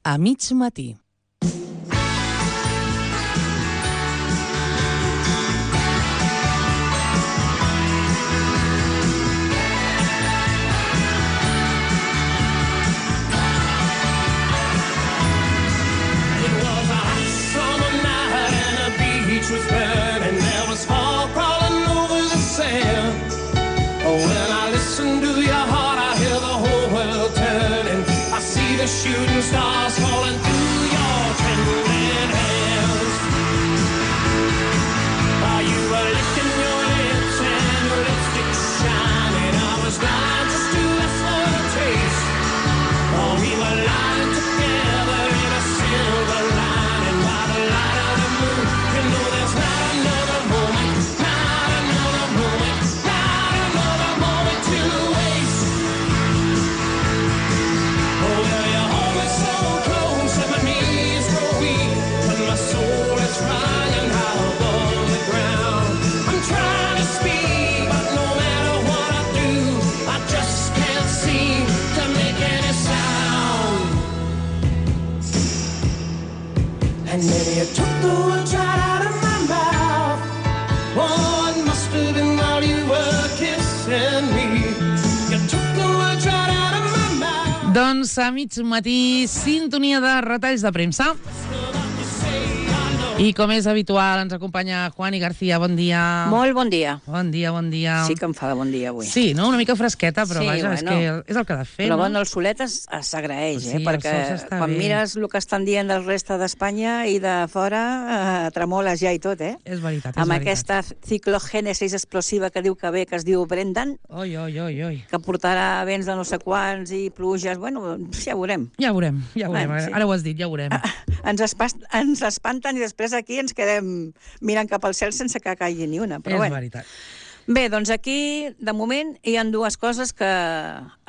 A mig matí. Was burning, there was fog crawling over the sand. Oh, when I listen to your heart, I hear the whole world turning. I see the shooting stars falling through your trembling hands. While you were licking your lips and your lipstick shining, I was blind just to lust for a taste. Oh, we were lying together in a silver lining by the light of the moon. You know there's not another moment, not another moment, not another moment to waste. Oh, well, you hold me so close and my knees grow weak, but my soul is flying high above the ground. I'm trying to speak, but no matter what I do, I just can't seem to make any sound. And maybe you took the words right out of my mouth. Oh, it must have been while you were kissing me. You took the words right out of my mouth. Doncs a mig matí, sintonia de retalls de premsa. I com és habitual, ens acompanya Juani García. Bon dia. Molt bon dia. Bon dia, bon dia. Sí que em fa de bon dia avui. Sí, no? Una mica fresqueta, però Sí, vaja, és bueno. que és el que ha de fer, Però no? bueno, el solet s'agraeix, Sí, el perquè sol s'està quan bé. mires el que estan dient del resta d'Espanya i de fora, tremoles ja i tot, eh? És veritat, és Amb veritat. aquesta ciclogènesis explosiva que diu que ve, que es diu Brendan, Oi, oi, oi, oi. que portarà vents de no sé quants i pluges, bueno, ja veurem. Ja veurem, ja veurem. Bueno, sí. Ara ho has dit, ja veurem. Ens espanten i després aquí ens quedem mirant cap al cel sense que caigui ni una. Però És bueno. veritat. Bé, doncs aquí, de moment, hi ha dues coses que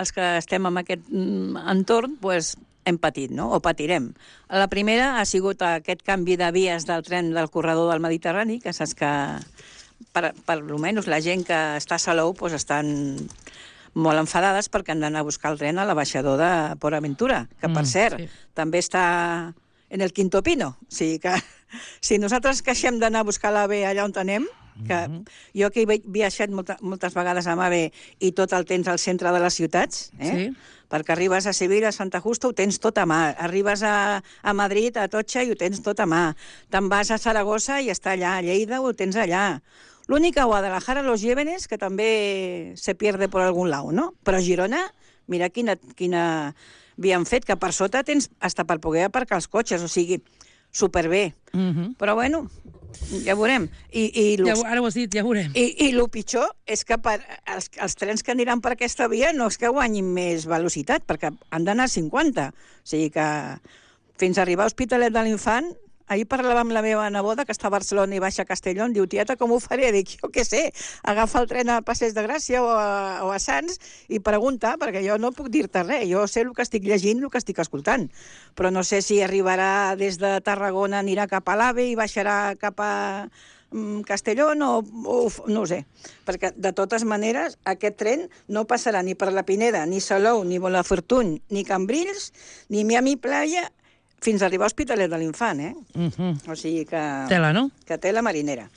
els que estem en aquest entorn doncs, hem patit, no? O patirem. La primera ha sigut aquest canvi de vies del tren del corredor del Mediterrani, que saps que, per almenys, la gent que està a Salou doncs, estan molt enfadades perquè han d'anar a buscar el tren a l'abaixador de Port Aventura, que, per cert, sí. també està en el Quinto Pino. O sigui que si nosaltres queixem d'anar a buscar l'AVE allà on anem, que jo que he viatjat moltes vegades amb AVE i tot el tens al centre de les ciutats, Sí. perquè arribes a Sevilla, a Santa Justa, ho tens tot a mà. Arribes a Madrid, a Atocha, i ho tens tot a mà. Te'n vas a Saragossa i està allà. A Lleida ho tens allà. L'únic a Guadalajara, Los Llévenes, que també se pierde por algun lado, no? Però a Girona, mira quina via han fet, que per sota tens hasta per poder aparcar els cotxes, o sigui, superbé. Però bueno, ja veurem. Ara ho has dit, ja veurem. I el pitjor és que els trens que aniran per aquesta via no és que guanyin més velocitat, perquè han d'anar a 50. O sigui que fins a arribar a Hospitalet de l'Infant, ahir parlava amb la meva neboda, que està a Barcelona i baixa a Castelló, diu, tieta, com ho faré? Dic, jo què sé, agafa el tren a Passeig de Gràcia o a Sants i pregunta, perquè jo no puc dir-te res, jo sé el que estic llegint, el que estic escoltant, però no sé si arribarà des de Tarragona, anirà cap a l'AVE i baixarà cap a Castelló, no ho sé, perquè de totes maneres aquest tren no passarà ni per la Pineda, ni Salou, ni Bonafortuny, ni Cambrils, ni Miami Playa, fins a arribar a Hospitalet de l'Infant, O sigui que... Tela, no? Que tela marinera.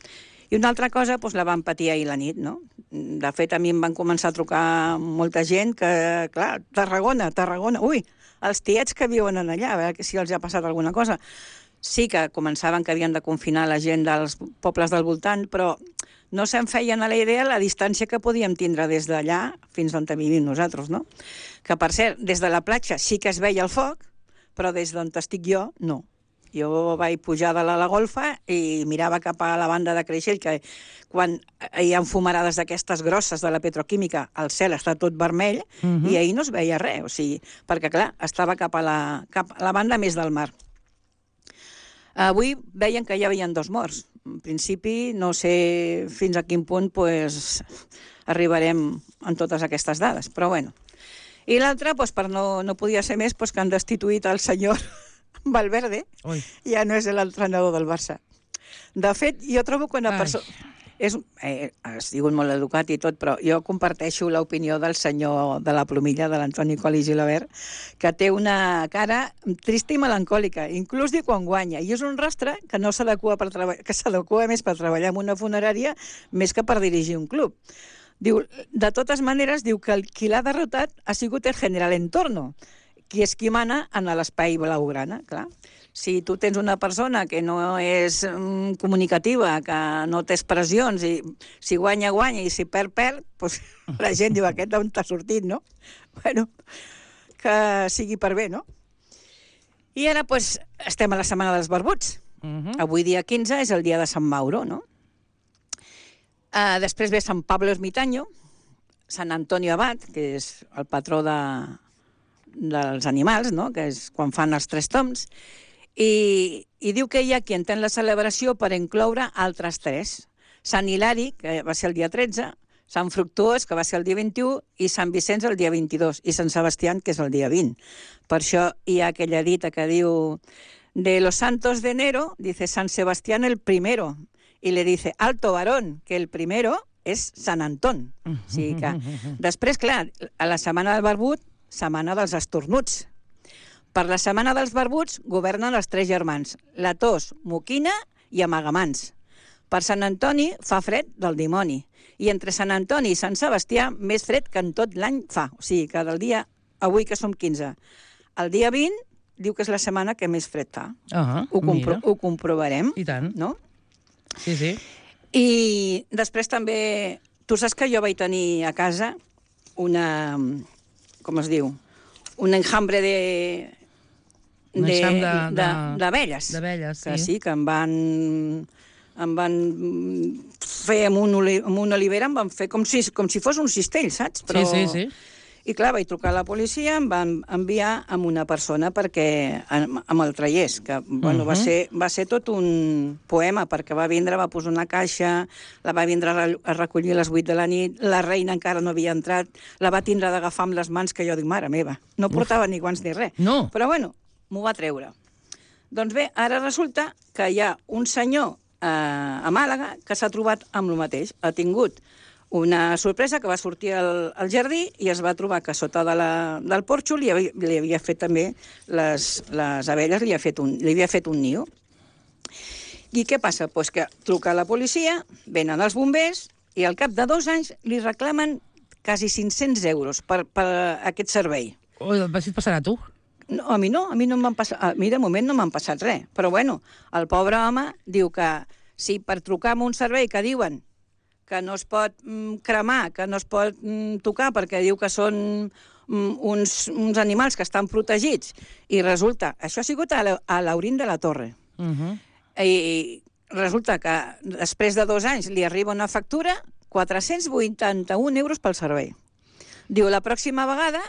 I una altra cosa, doncs, la van patir ahir la nit, no? De fet, a mi em van començar a trucar molta gent que, clar, Tarragona, ui, els tiets que viuen allà, a veure si els ha passat alguna cosa. Sí que començaven que havien de confinar la gent dels pobles del voltant, però no se'n feien a la idea la distància que podíem tindre des d'allà fins on vivim nosaltres, no? Que, per cert, des de la platja sí que es veia el foc, però des d'on estic jo, no. Jo vaig pujar de la golfa i mirava cap a la banda de Creixell, que quan hi ha fumarades d'aquestes grosses de la petroquímica, el cel està tot vermell, i ahir no es veia res, o sigui, perquè, clar, estava cap a la banda més del mar. Avui veien que ja havien 2 morts. En principi, no sé fins a quin punt arribarem en totes aquestes dades, però bueno. I l'altre, no podia ser més, que han destituït el senyor Valverde. Ui. Ja no és l'entrenador del Barça. De fet, jo trobo que ha sigut molt educat i tot, però jo comparteixo l'opinió del senyor de la plomilla, de l'Antoni Colli Gilabert, que té una cara trista i melancòlica, inclús diu quan guanya, i és un rostre que no s'adequa que s'adequa més per treballar en una funerària més que per dirigir un club. Diu, de totes maneres, diu que qui l'ha derrotat ha sigut el general Entorno, qui és qui mana en l'espai blaugrana, clar. Si tu tens una persona que no és comunicativa, que no té expressions, i si guanya, guanya, i si perd, perd, doncs la gent diu, aquest d'on t'ha sortit, no? Bueno, que sigui per bé, no? I ara, doncs, estem a la setmana dels barbuts. Avui, dia 15, és el dia de Sant Mauro, no? Després ve Sant Pablo Ermitaño, Sant Antonio Abad, que és el patró dels animals, no? Que és quan fan els 3 toms, i diu que hi ha qui entén la celebració per incloure altres 3. Sant Hilari, que va ser el dia 13, Sant Fructuós, que va ser el dia 21, i Sant Vicenç el dia 22, i Sant Sebastián, que és el dia 20. Per això hi ha aquella dita que diu de los santos de enero, dice San Sebastián el primero, y le dice, alto varón, que el primero és Sant Anton. O sigui que... Després, clar, a la setmana del barbut, setmana dels estornuts. Per la setmana dels barbuts governen els 3 germans, la tos, moquina i amagamans. Per Sant Antoni fa fred del dimoni, i entre Sant Antoni i Sant Sebastià més fred que en tot l'any fa. O sigui, que del dia, avui que som 15, el dia 20 diu que és la setmana que més fred fa. Ho comprovarem. I tant. No? Sí, sí. I després també... Tu saps que jo vaig tenir a casa una... Com es diu? Un enjambre d'abelles. D'abelles, sí. Que sí, que em van fer amb una olivera, em van fer com si fos un cistell, saps? Però... Sí. I clar, vaig trucar a la policia, em van enviar amb una persona perquè amb el traiés, que bueno, va ser tot un poema, perquè va vindre, va posar una caixa, la va vindre a recollir a les 8 de la nit, la reina encara no havia entrat, la va tindre d'agafar amb les mans, que jo dic, mare meva, no portava ni guants ni res. No. Però bueno, m'ho va treure. Doncs bé, ara resulta que hi ha un senyor a Màlaga que s'ha trobat amb el mateix. Ha tingut una sorpresa, que va sortir al jardí i es va trobar que sota del porxo li havia fet també les abelles, li havia fet un niu. I què passa? Pues que truca a la policia, venen els bombers i al cap de 2 anys li reclamen quasi 500 euros per aquest servei. Si et passarà a tu? No, a mi no em van passar... A mi de moment no m'han passat res. Però bueno, el pobre home diu que si per trucar a un servei que diuen que no es pot cremar, que no es pot tocar, perquè diu que són uns animals que estan protegits, i resulta... Això ha sigut a l'Aurín de la Torre. I resulta que després de 2 anys li arriba una factura, 481 euros pel servei. Diu, la pròxima vegada,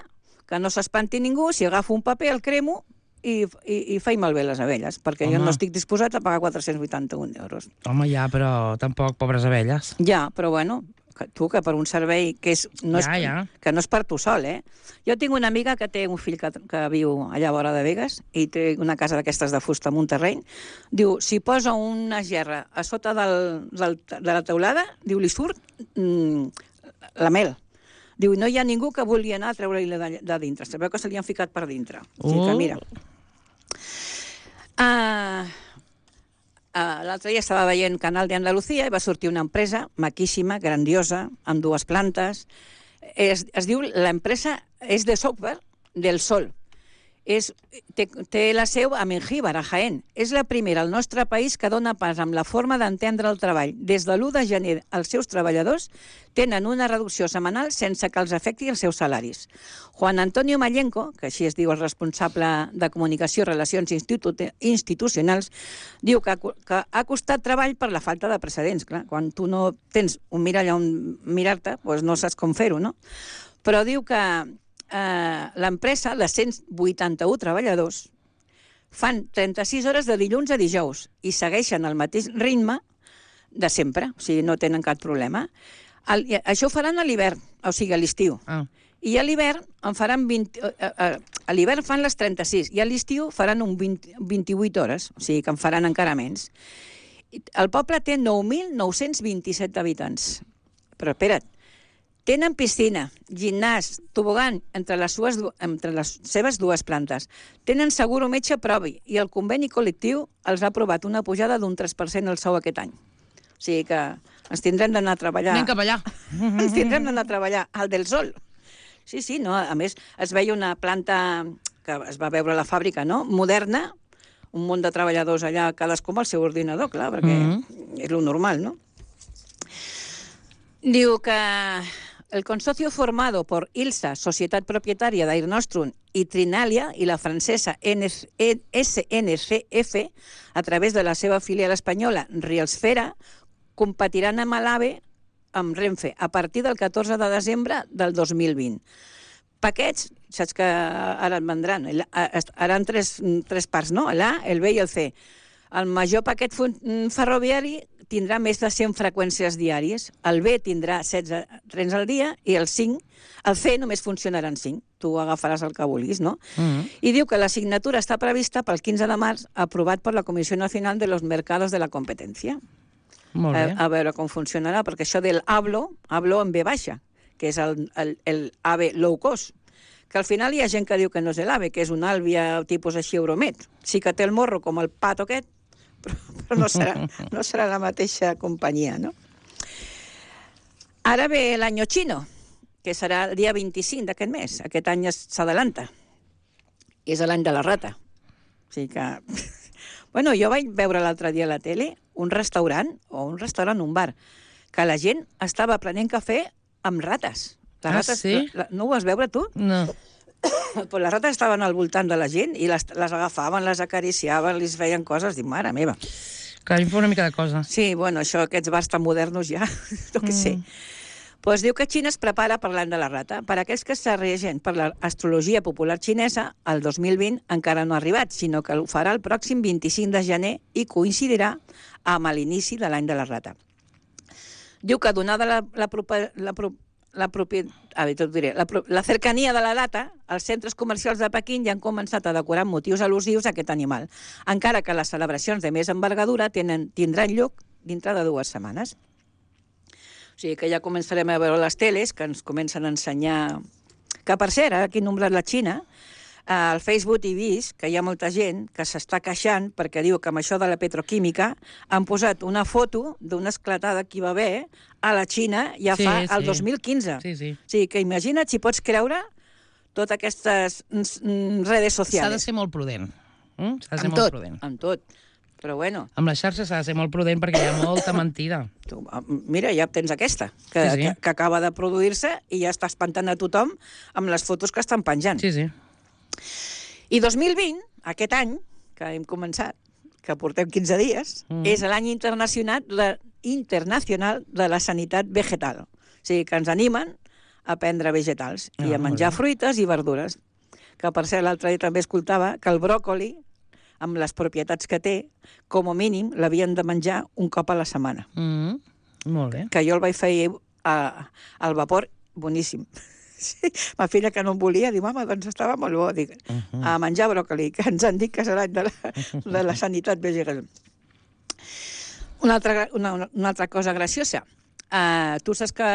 que no s'espanti ningú, si agafo un paper, el cremo i faig malbé les abelles, perquè jo no estic disposat a pagar 481 euros. Home, ja, però tampoc, pobres abelles. Ja, però bueno, que per un servei que no és per tu sol, eh? Jo tinc una amiga que té un fill que viu allà a vora de Begues i té una casa d'aquestes de fusta amb un terreny. Diu, si posa una gerra a sota de la teulada, diu, li surt la mel. Diu, no hi ha ningú que vulgui anar a treure-li de dintre. Sabeu que se li han ficat per dintre. O sigui que, mira... L'altre dia estava veient Canal de Andalucía i va sortir una empresa maquíssima, grandiosa, amb 2 plantes. Es diu, l'empresa és de software del Sol. Té la seu a Mengíbar, a Jaén. És la primera al nostre país que dona pas amb la forma d'entendre el treball. Des de l'1 de gener, els seus treballadors tenen una reducció setmanal sense que els afecti els seus salaris. Juan Antonio Mallenco, que així es diu el responsable de Comunicació i Relacions Institucionals, diu que ha costat treball per la falta de precedents. Clar, quan tu no tens un mirall on mirar-te, doncs no saps com fer-ho, no? Però diu que l'empresa, de 181 treballadors, fan 36 hores de dilluns a dijous i segueixen el mateix ritme de sempre, o sigui, no tenen cap problema. Això ho faran a l'hivern, o sigui, a l'estiu. I a l'hivern en faran a l'hivern fan les 36 i a l'estiu faran 28 hores, o sigui que en faran encara menys. El poble té 9.927 habitants. Però espera't, tenen piscina, gimnàs, tobogan entre les seves dues plantes. Tenen seguro metge propi i el conveni col·lectiu els ha aprovat una pujada d'un 3% al sou aquest any. O sigui que ens tindrem d'anar a treballar. Anem cap allà. Ens tindrem d'anar a treballar al del Sol. Sí, no? A més, es veia una planta que es va veure a la fàbrica, no? Moderna, un munt de treballadors allà, cadascú amb el seu ordinador, clar, perquè és lo normal, no? Diu que el consorcio formado por ILSA, Societat Propietària d'Air Nostrum, i Trinalia, i la francesa SNCF, a través de la seva filial espanyola Rielsfera, competiran amb l'AVE, amb Renfe, a partir del 14 de desembre del 2020. Paquets, saps que ara et vendran, ara en tres parts, no? L'A, el B i el C. El major paquet ferroviari tindrà més de 100 freqüències diàries, el B tindrà 16 trens al dia i el C només funcionaran 5. Tu agafaràs el que vulguis, no? I diu que la signatura està prevista pel 15 de març, aprovat per la Comissió Nacional de los Mercados de la Competencia. Molt bé. A veure com funcionarà, perquè això del hablo en B baixa, que és el AVE low cost, que al final hi ha gent que diu que no és l'AVE, que és un Alvia tipus així Euromet. Sí que té el morro com el pato aquest, però no serà la mateixa companyia, no? Ara ve l'any xino, que serà el dia 25 d'aquest mes. Aquest any s'adelanta. És l'any de la rata. O sigui que... Bueno, jo vaig veure l'altre dia a la tele un restaurant, un bar, que la gent estava prenent cafè amb rates. Les rates, sí? No ho vas veure, tu? No. Però les rates estaven al voltant de la gent i les agafaven, les acariciaven, li feien coses. Dic, mare meva. Que a mi fa una mica de cosa. Sí, bueno, això, aquests bars tan modernos ja, no que sé. Pues diu que Xina es prepara per l'any de la rata. Per aquells que s'arreguen per l'astrologia popular xinesa, el 2020 encara no ha arribat, sinó que ho farà el pròxim 25 de gener i coincidirà amb l'inici de l'any de la rata. Diu que donada la cercania de la data, els centres comercials de Pequín ja han començat a decorar motius al·lusius a aquest animal, encara que les celebracions de més envergadura tindran lloc dintre de 2 setmanes. O sigui que ja començarem a veure les teles, que ens comencen a ensenyar... Que, per cert, aquí he nombrat la Xina, al Facebook he vist que hi ha molta gent que s'està queixant perquè diu que amb això de la petroquímica han posat una foto d'una esclatada que hi va haver a la Xina ja fa el 2015. Sí. O sigui que imagina't si pots creure totes aquestes redes socials. S'ha de ser molt prudent. S'ha de ser molt prudent. Amb tot. Però bueno... Amb les xarxes s'ha de ser molt prudent perquè hi ha molta mentida. Mira, ja tens aquesta, que acaba de produir-se i ja està espantant a tothom amb les fotos que estan penjant. Sí. I 2020, aquest any, que hem començat, que portem 15 dies, és l'any internacional de la sanitat vegetal. O sigui, que ens animen a prendre vegetals i a menjar fruites i verdures. Que, per cert, l'altre dia també escoltava que el bròcoli, amb les propietats que té, com a mínim l'havien de menjar un cop a la setmana. Molt bé. Que jo el vaig fer al vapor, boníssim. Sí, ma filla, que no em volia, diu, mama, doncs estava molt bo. Dic, a menjar bròcoli, que ens han dit que és l'any de la sanitat vegetal. Una altra cosa graciosa. Tu saps que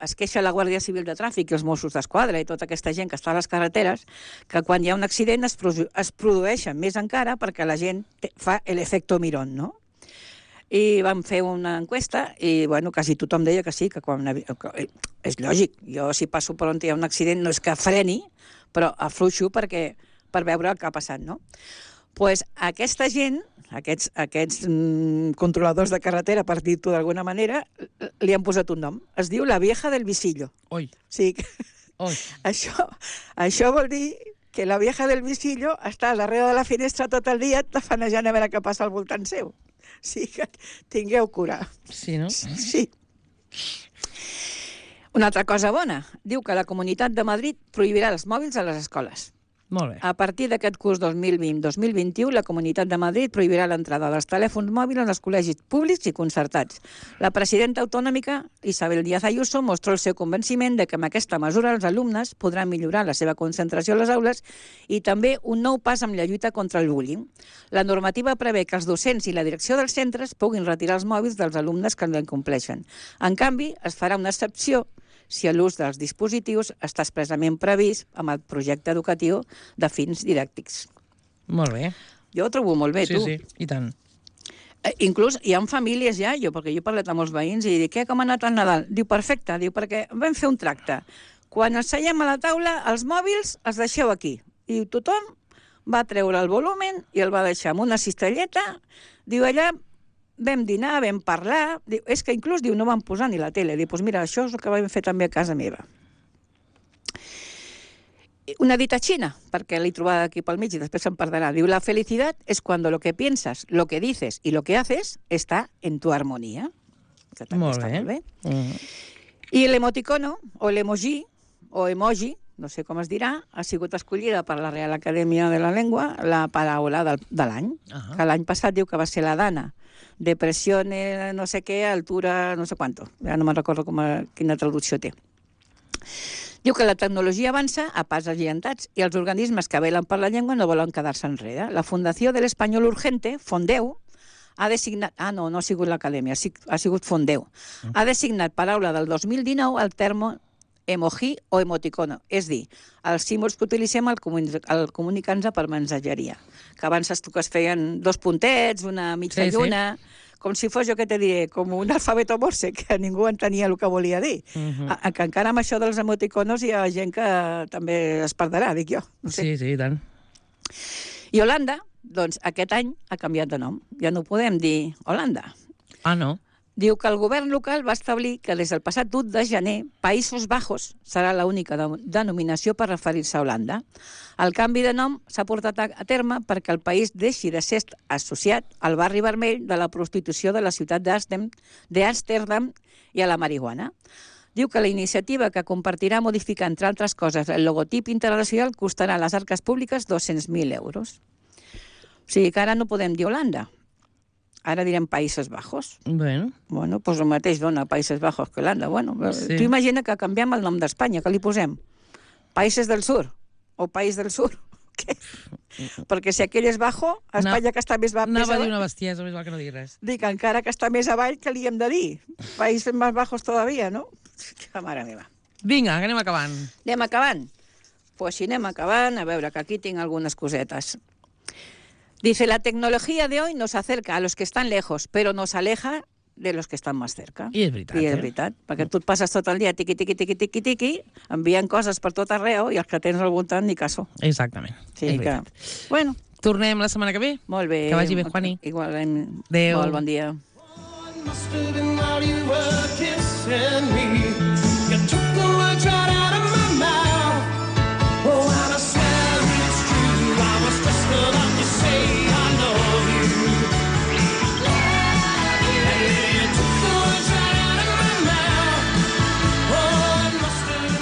es queixa la Guàrdia Civil de Tràfic i els Mossos d'Esquadra i tota aquesta gent que està a les carreteres que quan hi ha un accident es produeixen més encara perquè la gent fa l'efecte mirón, no? I vam fer una enquesta i, bueno, quasi tothom deia que sí, que quan... És lògic, jo si passo per on hi ha un accident no és que freni, però afluixo per veure el que ha passat, no? Doncs aquesta gent, aquests controladors de carretera, per dir-ho d'alguna manera, li han posat un nom. Es diu la vieja del visillo. Oi. Sí, això vol dir que la vieja del visillo està darrere de la finestra tot el dia tafanejant a veure què passa al voltant seu. Sí, que tingueu cura. Sí, no? Sí. Una altra cosa bona. Diu que la Comunitat de Madrid prohibirà els mòbils a les escoles. Molt bé. A partir d'aquest curs 2020-2021, la Comunitat de Madrid prohibirà l'entrada dels telèfons mòbils en els col·legis públics i concertats. La presidenta autonòmica, Isabel Díaz Ayuso, mostró el seu convenciment de que amb aquesta mesura els alumnes podran millorar la seva concentració a les aules i també un nou pas amb la lluita contra el bullying. La normativa prevé que els docents i la direcció dels centres puguin retirar els mòbils dels alumnes que no incompleixen. En canvi, es farà una excepció si l'ús dels dispositius està expressament previst amb el projecte educatiu de fins didàctics. Molt bé. Jo ho trobo molt bé, Sí, tu. sí, i tant. Inclús hi ha famílies ja, perquè jo he parlat amb molts veïns i dic, com ha anat el Nadal? Diu, perfecte, diu, perquè vam fer un tracte. Quan ens seiem a la taula, els mòbils els deixeu aquí. I tothom va treure el volumen i el va deixar amb una cistelleta. Diu, allà vam dinar, vam parlar, diu, és que inclús diu, no vam posar ni la tele. Diu, doncs mira, això és el que vam fer també a casa meva. Una dita xina, perquè l'he trobada aquí pel mig i després se'n perdrà. Diu, la felicitat és cuando lo que piensas, lo que dices y lo que haces está en tu armonía. Que també Molt està bé. molt bé. I l'emoticono, o l'emoji, o emoji, no sé com es dirà, ha sigut escollida per la Real Acadèmia de la Llengua la paraula de l'any, que l'any passat diu que va ser la Dana. Depressió, no sé què, altura, no sé quanto. Ja no me'n recordo quina traducció té. Diu que la tecnologia avança a pas agigantats i els organismes que velen per la llengua no volen quedar-se enrere. La Fundació de l'Espanyol Urgente, Fondeu, ha designat... no ha sigut l'Acadèmia, ha sigut Fondeu. Ha designat paraula del 2019 el terme emoji o emoticono, és dir, els símbols que utilitzem al comunicar-nos per mensageria. Que abans es feien 2 puntets, una mitja lluna, com si fos, jo què te diré, com un alfabeto morse, que ningú entenia el que volia dir. Que encara amb això dels emoticonos hi ha gent que també es perdrà, dic jo. No sé. Sí, i tant. I Holanda, doncs aquest any ha canviat de nom. Ja no podem dir Holanda. Ah, no? Diu que el govern local va establir que des del passat 1 de gener Països Bajos serà l'única denominació per referir-se a Holanda. El canvi de nom s'ha portat a terme perquè el país deixi de ser associat al barri vermell de la prostitució de la ciutat d'Amsterdam i a la marihuana. Diu que la iniciativa que compartirà modificar, entre altres coses, el logotip internacional costarà a les arques públiques 200.000 euros. O sigui que ara no podem dir Holanda. Ara direm Països Bajos. Bueno, Doncs el mateix dona Països Bajos que Holanda. Sí. Tu imagina que canviem el nom d'Espanya, que li posem? Països del Sur o País del Sur. Què? Perquè si aquell és bajo, Espanya que està més anava a dir avall, una bestiesa, més val que no digui res. dic encara que està més avall, que li hem de dir? Països més bajos todavía, no? Que mare meva. Vinga, que anem acabant. Anem acabant? Pues si anem acabant, a veure, que aquí tinc algunes cosetes. Dice, la tecnología de hoy nos acerca a los que están lejos, pero nos aleja de los que estan més cerca. I és veritat, I és veritat, perquè tu et passes tot el dia tiqui, tiqui, tiqui, tiqui, tiqui, enviant coses per tot arreu i els que tens al voltant ni caso. Exactament. Sí, és que... veritat. Bueno, Tornem la setmana que ve? molt bé. Que vagi bé, Juani. Igualment. Adéu. Molt bon dia. Must have been while you were kissing me.